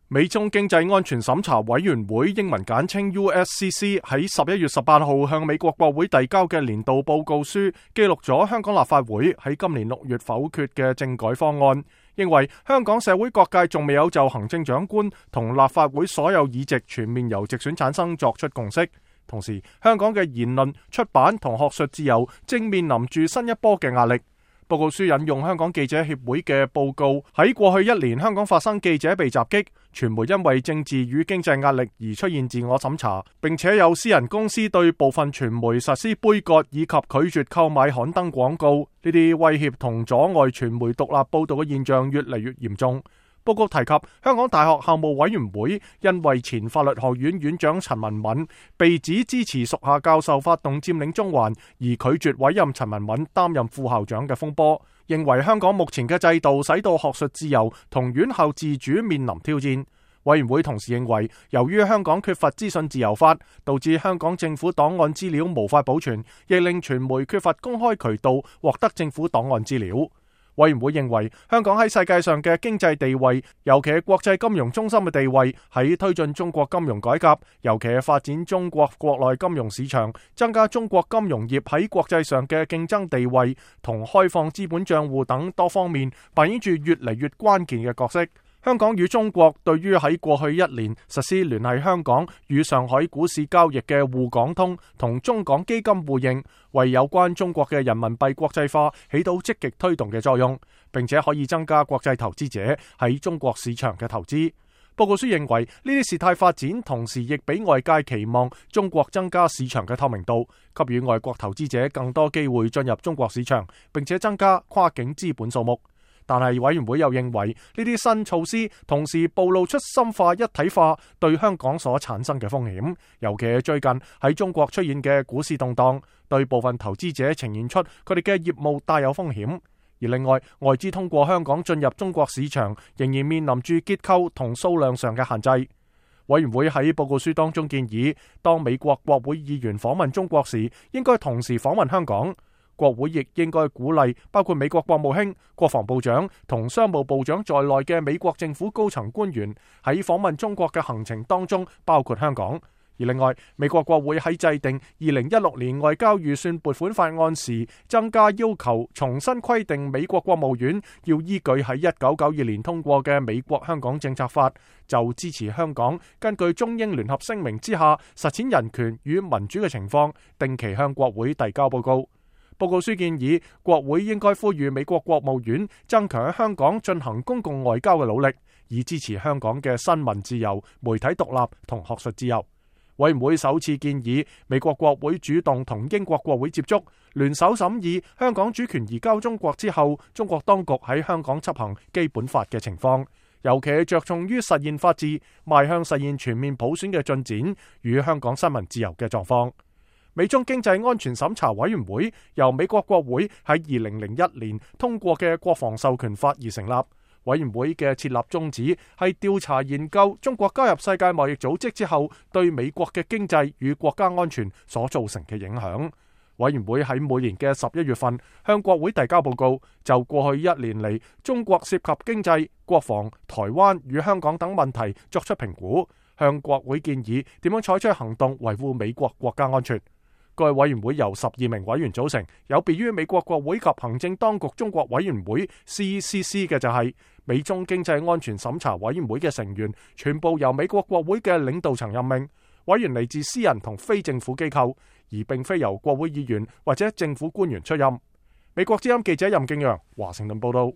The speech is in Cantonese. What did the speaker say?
美中經濟安全審查委員會英文簡稱 USCC 喺11月18號向美國國會遞交嘅年度報告書，記錄咗香港立法會喺今年6月否決嘅政改方案，認為香港社會各界仲未有就行政長官同立法會所有議席全面由直選產生作出共識。同時，香港嘅言論、出版同學術自由正面臨住新一波嘅壓力。報告書引用香港記者協會嘅報告，喺過去1年香港發生記者被襲擊，傳媒因為政治與經濟壓力而出現自我審查，並且有私人公司對部分傳媒實施杯葛以及拒絕購買刊登廣告，呢啲威脅同阻礙傳媒獨立報道嘅現象越嚟越嚴重。報告提及香港大學校務委員會因為前法律學院院長陳文敏被指支持屬下教授發動佔領中環，而拒絕委任陳文敏擔任副校長嘅風波，認為香港目前嘅制度使到學術自由同院校自主面臨挑戰。委員會同時認為，由於香港缺乏資訊自由法，導致香港政府檔案資料無法保存，亦令傳媒缺乏公開渠道獲得政府檔案資料。委員會認為，香港喺世界上嘅經濟地位，尤其係國際金融中心嘅地位，喺推進中國金融改革，尤其係發展中國國內金融市場，增加中國金融業喺國際上嘅競爭地位，同開放資本賬戶等多方面，扮演住越嚟越關鍵嘅角色。香港與中國對於喺過去1年實施聯繫香港與上海股市交易嘅滬港通同中港基金互認，為有關中國嘅人民幣國際化起到積極推動嘅作用，並且可以增加國際投資者喺中國市場嘅投資。報告書認為，呢啲事態發展同時亦俾外界期望中國增加市場嘅透明度，給予外國投資者更多機會進入中國市場，並且增加跨境資本數目。但係委員會又認為，呢啲新措施同時暴露出深化一體化對香港所產生嘅風險，尤其係最近喺中國出現嘅股市動盪，對部分投資者呈現出佢哋嘅業務帶有風險。而另外，外資通過香港進入中國市場，仍然面臨住結構同數量上嘅限制。委員會喺報告書當中建議，當美國國會議員訪問中國時，應該同時訪問香港。國會亦應該鼓勵包括美國國務卿、國防部長同商務部長在內嘅美國政府高層官員喺訪問中國嘅行程當中包括香港。而另外，美國國會喺制定2016年外交預算撥款法案時，增加要求，重新規定美國國務院要依據喺1992年通過嘅美國香港政策法，就支持香港根據中英聯合聲明之下實踐人權與民主嘅情況，定期向國會遞交報告。報告書建議，國會應該呼籲美國國務院增強喺香港進行公共外交嘅努力，以支持香港嘅新聞自由、媒體獨立同學術自由。委員會首次建議美國國會主動同英國國會接觸，聯手審議香港主權移交中國之後，中國當局喺香港執行基本法嘅情況，尤其係着重於實現法治、邁向實現全面普選嘅進展與香港新聞自由嘅狀況。美中經濟安全審查委員會由美國國會喺2001年通過嘅國防授權法而成立。委員會嘅設立宗旨係調查研究中國加入世界貿易組織之後對美國嘅經濟與國家安全所造成嘅影響。委員會喺每年嘅11月份向國會遞交報告，就過去1年嚟中國涉及經濟、國防、台灣與香港等問題作出評估，向國會建議點樣採取行動維護美國國家安全。該委員會由12名委員組成，有別於美國國會及行政當局中國委員會 CECC 嘅就係美中經濟安全審查委員會嘅成員全部由美國國會嘅領導層任命，委員嚟自私人同非政府機構，而並非由國會議員或者政府官員出任。美國之音記者任敬陽華盛頓報道。